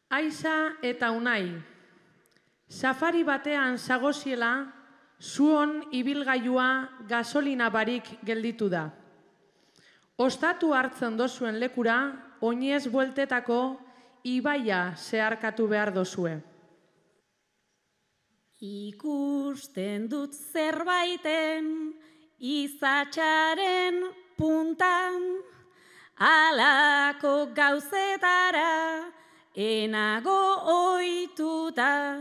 Aiza eta Unai, safari batean zagoziela, zuon ibilgailua gasolina barik gelditu da. Ostatu hartzen dozuen lekura, oinez bueltetako ibaia zeharkatu behar dozue. Ikusten dut zerbaiten izatxaren puntan, alako gauzetara enago ohituta.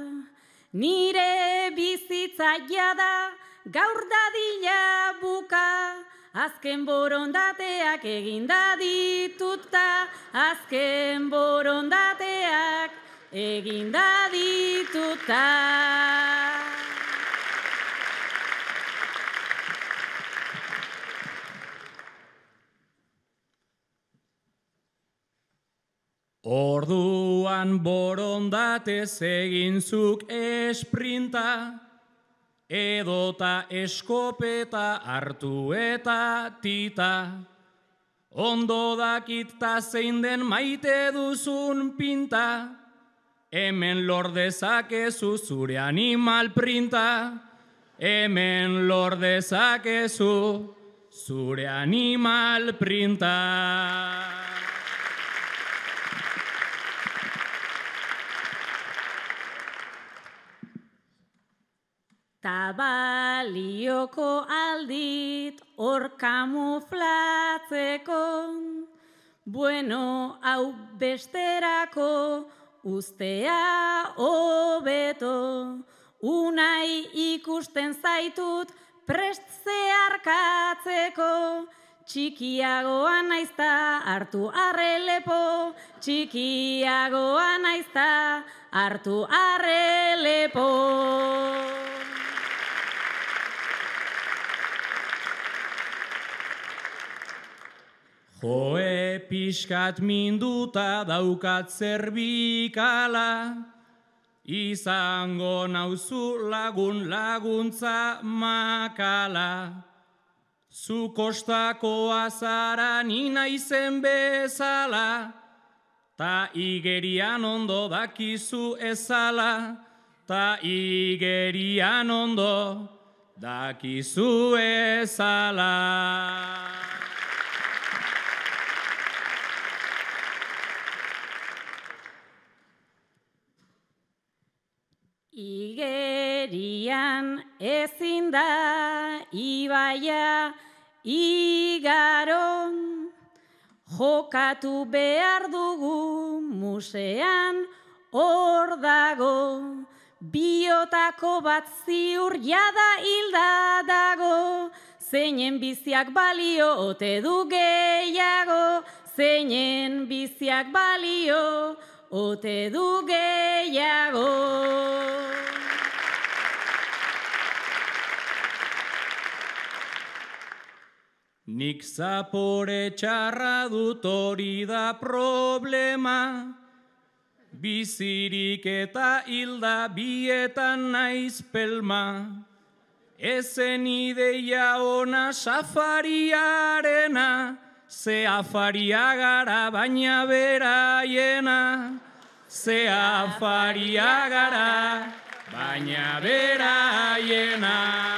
Nire bizitza jada gaur dadila buka, azken borondateak eginda dituta, azken borondateak eginda dituta. Orduan borondatez egin zuk esprinta, edota eskopeta hartu eta tita. Ondo dakit ta zein den maite duzun pinta, hemen lor dezakezu zure animal printa, hemen lor dezakezu zure animal printa. Tabalioko aldit hor kamuflatzeko, bueno, hau besterako ustea hobeto. Unai ikusten zaitut prest zeharkatzeko, txikiagoa naizta hartu arrelepo, txikiagoa naizta hartu arrelepo. Joe pixkat minduta daukat zerbikala, izango nauzu lagun laguntza makala. Zu kostakoa zara ni naizen bezala, ta igerian ondo dakizu ezala, ta igerian ondo dakizu ezala. Igerian ezin da ibaia igaron, jokatu behar dugu musean hor dago, biotako bat ziur jada hilda dago, zeinen biziak balio ote du gehiago, zeinen biziak balio ote du gehiago. Nik zapore txarra dut hori da problema, bizirik eta hilda bietan naiz pelma. Ezen ideia ona safariarena, ze afaria gara baina beraiena, ze afaria gara baina beraiena.